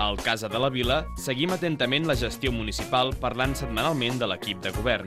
Al Casa de la Vila seguim atentament la gestió municipal parlant setmanalment de l'equip de govern.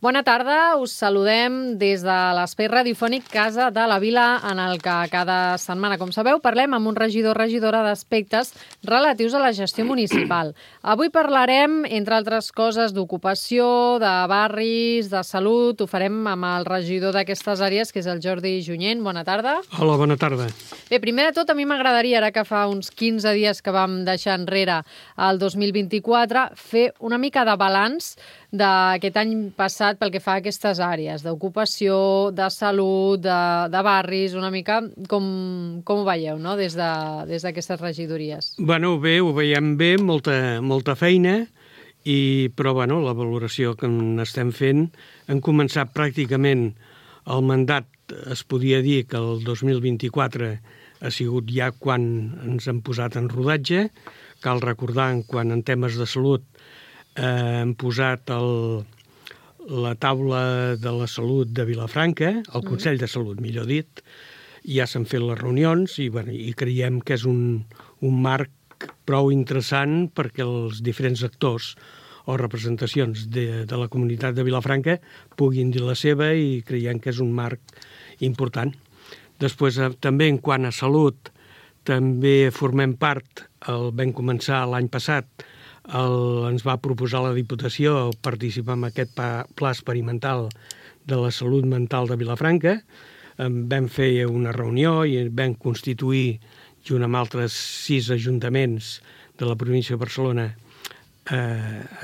Bona tarda, us saludem des de l'espai radiofònic Casa de la Vila, en el que cada setmana, com sabeu, parlem amb un regidor o regidora d'aspectes relatius a la gestió municipal. Avui parlarem, entre altres coses, d'ocupació, de barris, de salut. Ho farem amb el regidor d'aquestes àrees, que és el Jordi Junyent. Bona tarda. Hola, bona tarda. Bé, primer de tot, a mi m'agradaria, ara que fa uns 15 dies que vam deixar enrere el 2024, fer una mica de balanç d'aquest any passat pel que fa a aquestes àrees d'ocupació, de salut, de barris, una mica com ho veieu, no?, des d'aquestes regidories. Bé, ho veiem bé, molta feina, però la valoració que n'estem fent, hem començat pràcticament el mandat, es podia dir que el 2024 ha sigut ja quan ens hem posat en rodatge. Cal recordar, quan en temes de salut hem posat la taula de la salut de Vilafranca, el Consell de Salut, millor dit, ja s'han fet les reunions i creiem que és un marc prou interessant perquè els diferents actors o representacions de la comunitat de Vilafranca puguin dir la seva, i creiem que és un marc important. Després, també en quant a salut, també formem part, vam començar l'any passat, ens va proposar la Diputació participar en aquest pla experimental de la salut mental de Vilafranca. Vam fer una reunió i vam constituir, junt amb altres 6 ajuntaments de la província de Barcelona,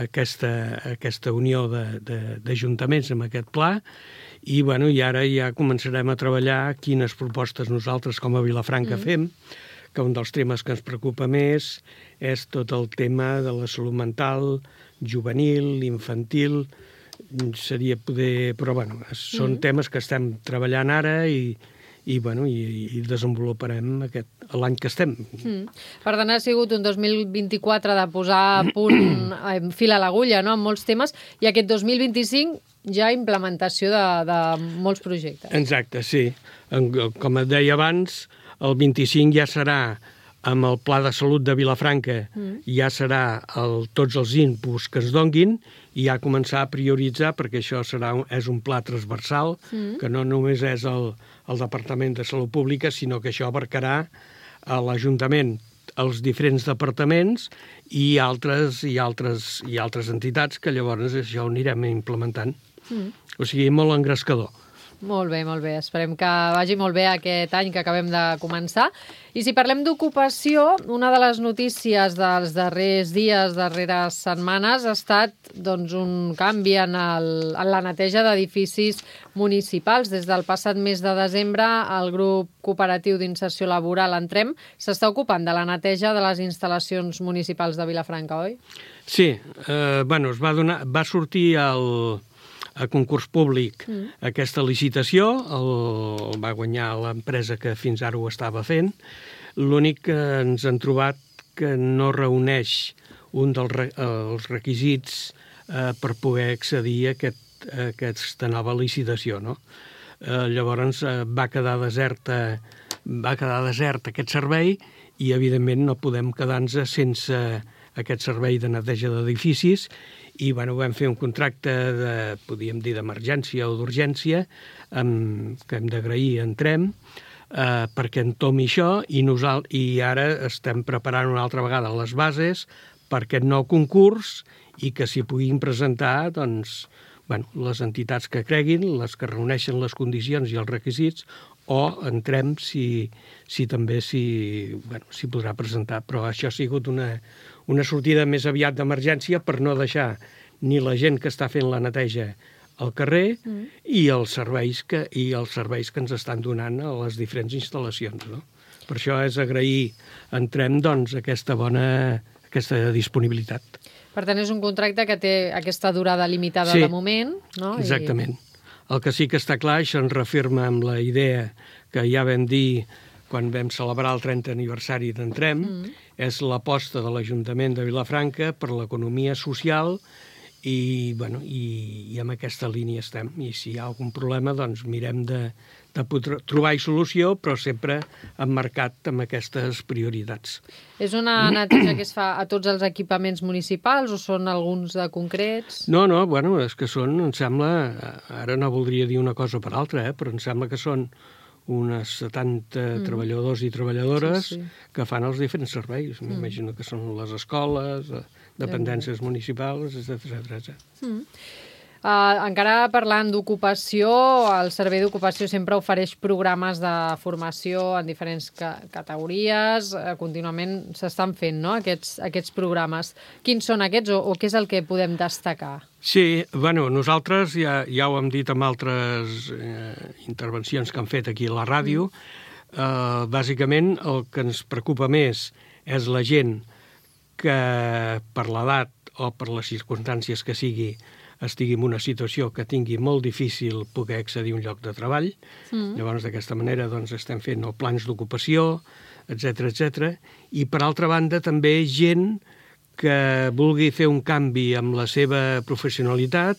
aquesta unió d'ajuntaments amb aquest pla, i ara ja començarem a treballar quines propostes nosaltres com a Vilafranca fem, que un dels temes que ens preocupa més és tot el tema de la salut mental, juvenil, infantil, però són temes que estem treballant ara i desenvoluparem l'any que estem. Per tant, ha sigut un 2024 de posar a punt fil a l'agulla, no?, amb molts temes, i aquest 2025 ja implementació de molts projectes. Exacte, sí. Com et deia abans, el 25 ja serà amb el Pla de Salut de Vilafranca, ja serà tots els inputs que es donguin, i ja començar a prioritzar, perquè això és un pla transversal, que no només és el Departament de Salut Pública, sinó que això abarcarà a l'Ajuntament, els diferents departaments i altres entitats, que llavors això ho anirem implementant. O sigui, molt engrescador. Molt bé, molt bé. Esperem que vagi molt bé aquest any que acabem de començar. I si parlem d'ocupació, una de les notícies dels darrers dies, darreres setmanes, ha estat un canvi en la neteja d'edificis municipals. Des del passat mes de desembre, el grup cooperatiu d'inserció laboral Entrem s'està ocupant de la neteja de les instal·lacions municipals de Vilafranca, oi? Sí, va sortir a concurs públic aquesta licitació, el va guanyar l'empresa que fins ara ho estava fent. L'únic que ens han trobat que no reuneix un dels requisits per poder accedir a aquesta nova licitació, no? Llavors va quedar desert aquest servei, i evidentment no podem quedar-nos sense aquest servei de neteja d'edificis, i vam fer un contracte podríem dir d'emergència o d'urgència, que hem d'agrair a Entrem, perquè entomi això, i ara estem preparant una altra vegada les bases per aquest nou concurs, i que s'hi puguin presentar les entitats que creguin, les que reuneixen les condicions i els requisits, o Entrem si també s'hi podrà presentar. Però això ha sigut una sortida més aviat d'emergència per no deixar ni la gent que està fent la neteja al carrer i els serveis que ens estan donant a les diferents instal·lacions, no? Per això és agrair a Entrem aquesta disponibilitat. Per tant, és un contracte que té aquesta durada limitada de moment, no? Exactament. El que sí que està clar, això ens reafirma amb la idea que ja vam dir quan vam celebrar el 30 aniversari d'Entrem, és l'aposta de l'Ajuntament de Vilafranca per l'economia social, i amb aquesta línia estem. I si hi ha algun problema, mirem de trobar-hi solució, però sempre emmarcat amb aquestes prioritats. És una neteja que es fa a tots els equipaments municipals o són alguns de concrets? No, bueno, és que són, em sembla, ara no voldria dir una cosa per altra, però em sembla que són unes 70 treballadors i treballadores que fan els diferents serveis. M'imagino que són les escoles, dependències municipals, etc. Encara parlant d'ocupació, el Servei d'Ocupació sempre ofereix programes de formació en diferents categories. Contínuament s'estan fent, no?, aquests programes. Quins són aquests o què és el que podem destacar? Sí, bueno, nosaltres ja ho hem dit en altres intervencions que han fet aquí a la ràdio. Bàsicament el que ens preocupa més és la gent que per l'edat o per les circumstàncies que sigui estigui en una situació que tingui molt difícil poder accedir a un lloc de treball. Llavors, d'aquesta manera, doncs, estem fent plans d'ocupació, etc. I, per altra banda, també gent que vulgui fer un canvi amb la seva professionalitat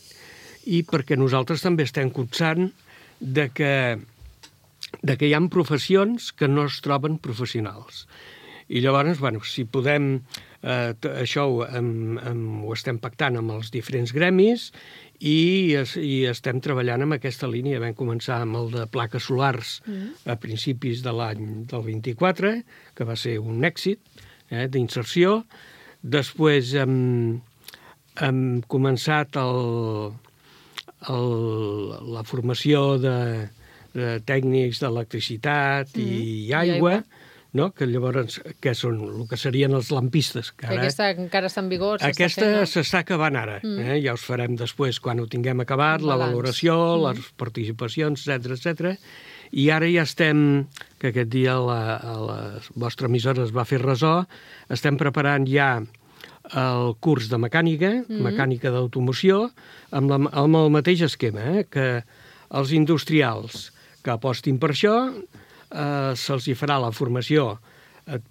i perquè nosaltres també estem copsant de que hi ha professions que no es troben professionals. I llavors, bueno, si podem... això ho estem pactant amb els diferents gremis i estem treballant amb aquesta línia. Vam començar amb el de plaques solars a principis de l'any del 24, que va ser un èxit d'inserció. Després hem començat la formació de tècnics d'electricitat i aigua, no? Que llavors que són el que serien els lampistes. Que aquesta encara està en vigor? Aquesta s'està acabant ara. Ja us farem després, quan ho tinguem acabat, la valoració, les participacions, etc. I ara ja estem, que aquest dia la vostra emissora es va fer ressò, estem preparant ja el curs de mecànica d'automoció, amb el mateix esquema, que els industrials que apostin per això se'ls hi farà la formació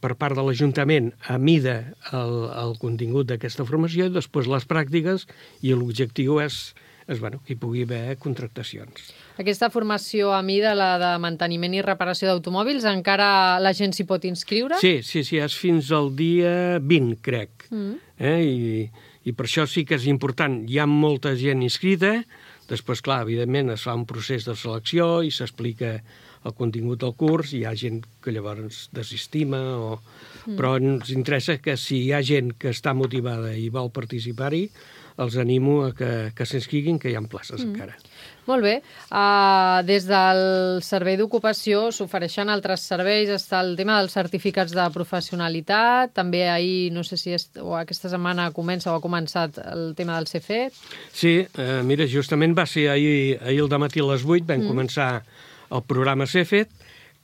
per part de l'Ajuntament a mida el contingut d'aquesta formació i després les pràctiques, i l'objectiu és que hi pugui haver contractacions. Aquesta formació a mida, la de manteniment i reparació d'automòbils, encara la gent s'hi pot inscriure? Sí, és fins al dia 20, crec. I per això sí que és important. Hi ha molta gent inscrita, després, clar, evidentment es fa un procés de selecció i s'explica el contingut del curs, hi ha gent que llavors desestima, però ens interessa que si hi ha gent que està motivada i vol participar-hi, els animo a que s'inscriguin, que hi ha places encara. Molt bé. Des del Servei d'Ocupació s'ofereixen altres serveis. Està el tema dels certificats de professionalitat. També ahir, no sé si aquesta setmana comença o ha començat el tema del CFET. Sí, mira, justament va ser ahir al dematí a les 8, vam començar el programa CFET,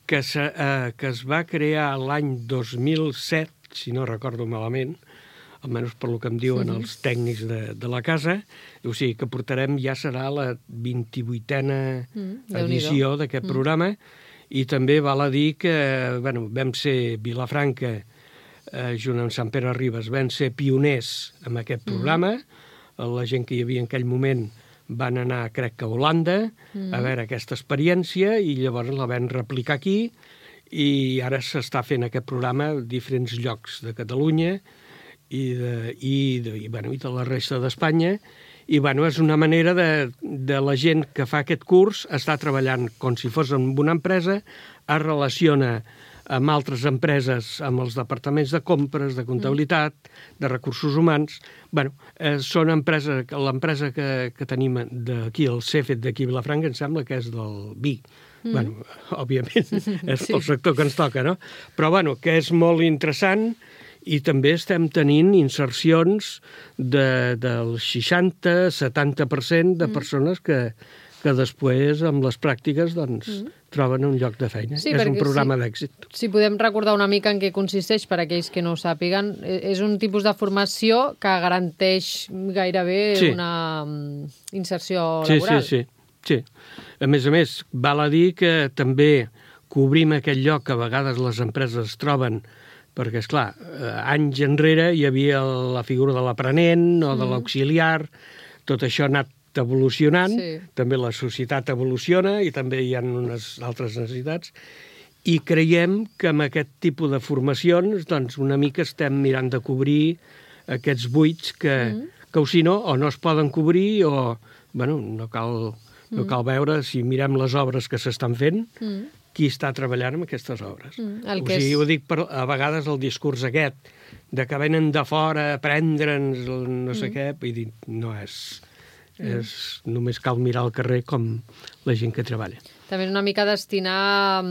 que es va crear l'any 2007, si no recordo malament, almenys per lo que em diuen els tècnics de la casa. O sigui que portarem, ja serà la 28a edició d'aquest programa, i també val a dir que vam ser Vilafranca, junt amb Sant Pere Ribes, vam ser pioners en aquest programa. La gent que hi havia en aquell moment van anar, crec que a Holanda, a veure aquesta experiència, i llavors la vam replicar aquí, i ara s'està fent aquest programa a diferents llocs de Catalunya i de la resta d'Espanya. I és una manera de la gent que fa aquest curs estar treballant com si fos en una empresa, es relaciona amb altres empreses, amb els departaments de compres, de comptabilitat, de recursos humans. Són empreses, l'empresa que tenim d'aquí, el CFET d'aquí a Vilafranca, em sembla que és del vi. Òbviament, és el sector que ens toca, no? Però, que és molt interessant, i també estem tenint insercions del 60-70% de persones que després, amb les pràctiques, troben un lloc de feina. Sí, és un programa d'èxit. Si podem recordar una mica en què consisteix, per aquells que no ho sàpiguen, és un tipus de formació que garanteix gairebé una inserció laboral. Sí. A més, val a dir que també cobrim aquell lloc que a vegades les empreses troben, perquè, esclar, anys enrere hi havia la figura de l'aprenent o de l'auxiliar, tot això ha anat evolucionant, Sí. també la societat evoluciona i també hi ha unes altres necessitats, i creiem que amb aquest tipus de formacions doncs, una mica estem mirant de cobrir aquests buits que o si no, o no es poden cobrir o bueno, no cal veure si mirem les obres que s'estan fent, qui està treballant amb aquestes obres. Ho dic a vegades el discurs aquest, de que venen de fora a prendre'ns no sé què, vull dir, no és... Només cal mirar al carrer com la gent que treballa. També és una mica destinar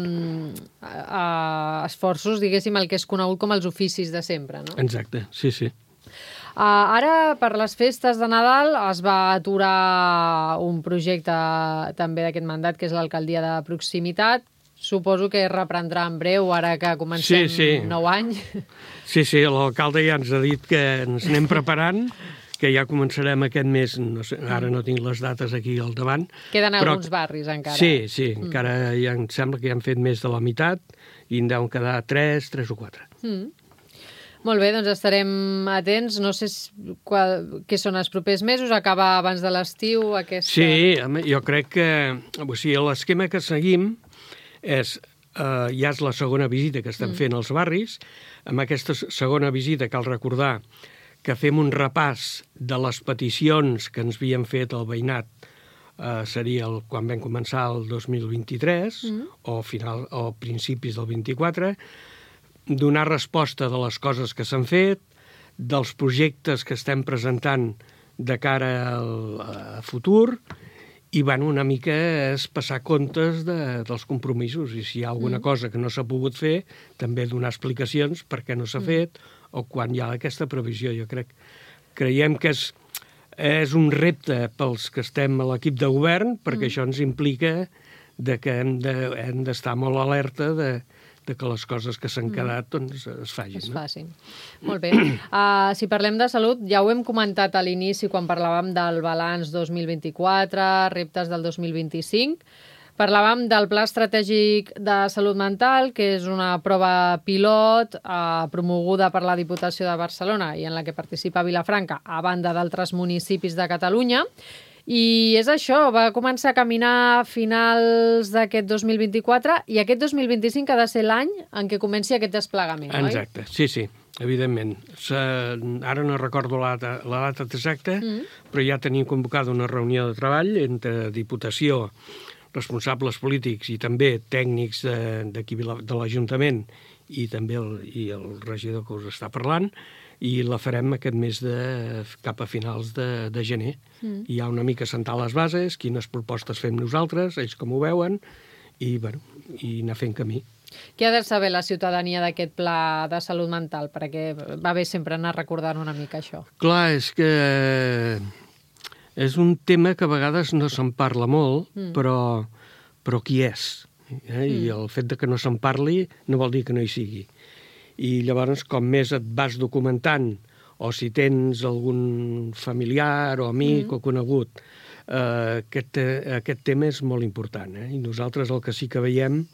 esforços, diguéssim, el que és conegut com els oficis de sempre, no? Exacte, sí. Ara, per les festes de Nadal, es va aturar un projecte també d'aquest mandat, que és l'alcaldia de proximitat. Suposo que reprendrà en breu, ara que comencem nou any. Sí, l'alcalde ja ens ha dit que ens anem preparant, que ja començarem aquest mes, no sé, ara no tinc les dates aquí al davant. Queden alguns barris encara. Sí, encara ja em sembla que ja han fet més de la meitat i en deuen quedar 3 o 4. Molt bé, doncs estarem atents. No sé què són els propers mesos, acaba abans de l'estiu aquesta... Sí, jo crec que l'esquema que seguim és, ja és la segona visita que estem fent als barris. Amb aquesta segona visita cal recordar que fem un repàs de les peticions que ens havien fet el veïnat, seria quan vam començar el 2023, o principis del 24, donar resposta de les coses que s'han fet, dels projectes que estem presentant de cara a futur, i una mica és passar comptes dels compromisos, i si hi ha alguna cosa que no s'ha pogut fer, també donar explicacions per què no s'ha fet, o quan hi ha aquesta previsió. Creiem que és un repte pels que estem a l'equip de govern, perquè això ens implica que hem d'estar molt alerta de que les coses que s'han quedat es facin. Es facin. Molt bé. Si parlem de salut, ja ho hem comentat a l'inici quan parlàvem del balanç 2024, reptes del 2025. Parlàvem del Pla Estratègic de Salut Mental, que és una prova pilot promoguda per la Diputació de Barcelona i en la que participa Vilafranca, a banda d'altres municipis de Catalunya. I és això, va començar a caminar a finals d'aquest 2024 i aquest 2025 ha de ser l'any en què comenci aquest desplegament, oi? Exacte, sí, evidentment. Ara no recordo la data exacta, però ja tenim convocada una reunió de treball entre Diputació, responsables polítics i també tècnics d'aquí de l'Ajuntament i també el regidor que us està parlant, i la farem aquest mes cap a finals de gener. I hi ha una mica sentar les bases, quines propostes fem nosaltres, ells com ho veuen, i anar fent camí. Què ha de saber la ciutadania d'aquest pla de salut mental? Perquè va bé sempre anar recordant una mica això. Clar, és que és un tema que a vegades no se'n parla molt, però qui és? I el fet de que no se'n parli no vol dir que no hi sigui. I llavors, com més et vas documentant, o si tens algun familiar o amic o conegut, aquest tema és molt important. I nosaltres el que sí que veiem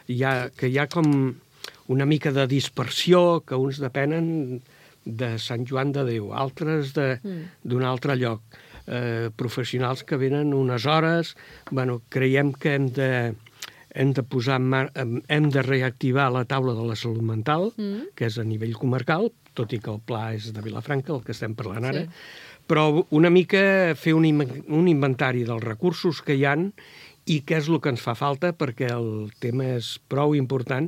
que hi ha com una mica de dispersió, que uns depenen de Sant Joan de Déu, altres d'un altre lloc. Professionals que venen unes hores. Creiem que hem de reactivar la taula de la salut mental, que és a nivell comarcal, tot i que el pla és de Vilafranca, el que estem parlant ara, però una mica fer un inventari dels recursos que hi han i què és el que ens fa falta, perquè el tema és prou important,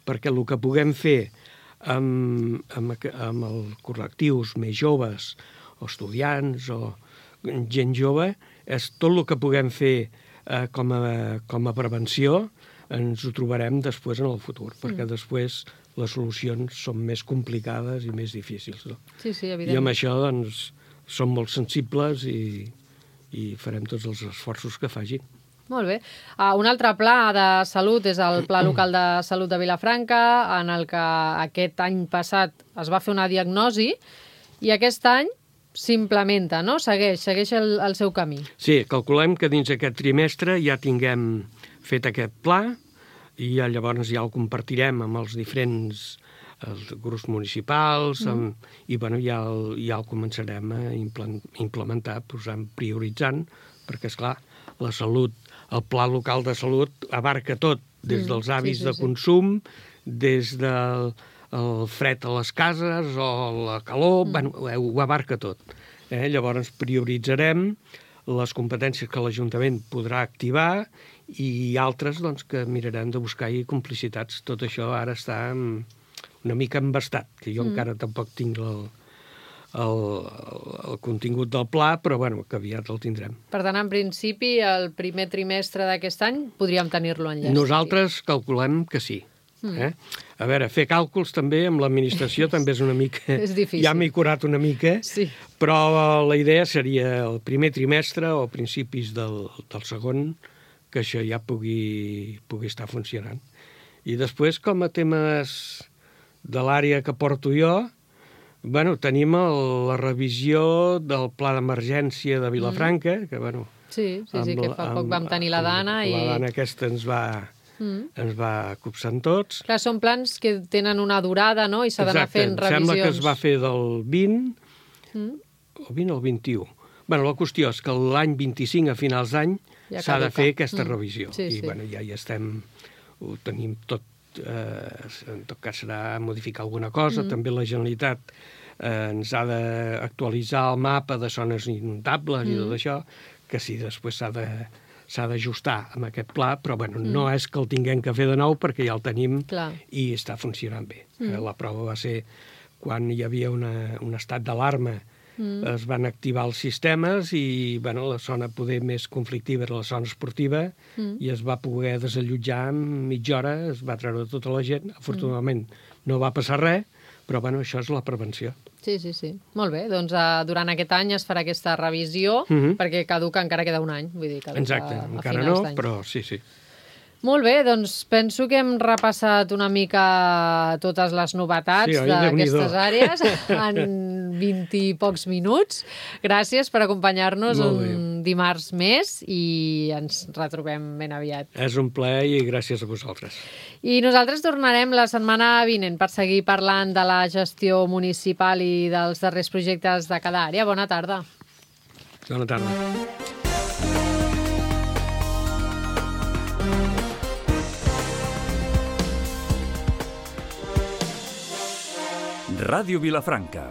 perquè el que puguem fer amb els col·lectius més joves, o estudiants, o gent jove, és tot el que puguem fer com a prevenció, ens ho trobarem després en el futur, perquè després les solucions són més complicades i més difícils. No? Sí, evidentment. I amb això doncs, som molt sensibles i farem tots els esforços que facin. Molt bé. Un altre pla de salut és el Pla Local de Salut de Vilafranca, en el que aquest any passat es va fer una diagnosi i aquest any s'implementa, no? Segueix el seu camí. Sí, calculem que dins aquest trimestre ja tinguem fet aquest pla i llavors ja el compartirem amb els diferents els grups municipals, i bueno, ja el començarem a implementar, prioritzant, perquè, esclar, la salut, el pla local de salut abarca tot, des dels hàbits de consum, des del fred a les cases o la calor, bueno, ho abarca tot. Llavors prioritzarem les competències que l'Ajuntament podrà activar i altres doncs, que mirarem de buscar-hi complicitats. Tot això ara està una mica embastat, que jo encara tampoc tinc el contingut del pla, però bueno, que aviat el tindrem. Per tant, en principi, el primer trimestre d'aquest any podríem tenir-lo enllestit. Nosaltres calculem que sí. A veure, fer càlculs també amb l'administració també és una mica... És difícil. Ja m'he curat una mica, però la idea seria el primer trimestre o principis del segon, que això ja pugui estar funcionant. I després, com a temes de l'àrea que porto jo, bueno, tenim la revisió del pla d'emergència de Vilafranca, que bueno... Sí, que fa poc vam tenir la Dana i... La Dana aquesta ens va copsant tots. Clar, són plans que tenen una durada, no?, i s'ha d'anar fent revisions. Sembla que es va fer del 20, el 20 o el 21. Bueno, la qüestió és que l'any 25, a finals d'any, s'ha de fer aquesta revisió. I bueno, ja hi estem, ho tenim tot, en tot cas serà modificar alguna cosa. També la Generalitat ens ha d'actualitzar el mapa de zones inundables i tot això, que sí, després s'ha d'ajustar amb aquest pla, però bueno, no és que el tinguem que fer de nou perquè ja el tenim i està funcionant bé. La prova va ser quan hi havia un estat d'alarma, es van activar els sistemes i bueno, la zona poder més conflictiva era la zona esportiva i es va poder desallotjar en mitja hora, es va treure tota la gent. Afortunadament no va passar res, però bueno, això és la prevenció. Sí. Molt bé, doncs durant aquest any es farà aquesta revisió, perquè caduca encara queda un any. Vull dir, exacte, encara no, però sí. Molt bé, doncs penso que hem repassat una mica totes les novetats d'aquestes àrees en 20 i pocs minuts. Gràcies per acompanyar-nos un dimarts més i ens retrobem ben aviat. És un plaer i gràcies a vosaltres. I nosaltres tornarem la setmana vinent per seguir parlant de la gestió municipal i dels darrers projectes de cada àrea. Bona tarda. Bona tarda. Ràdio Vilafranca.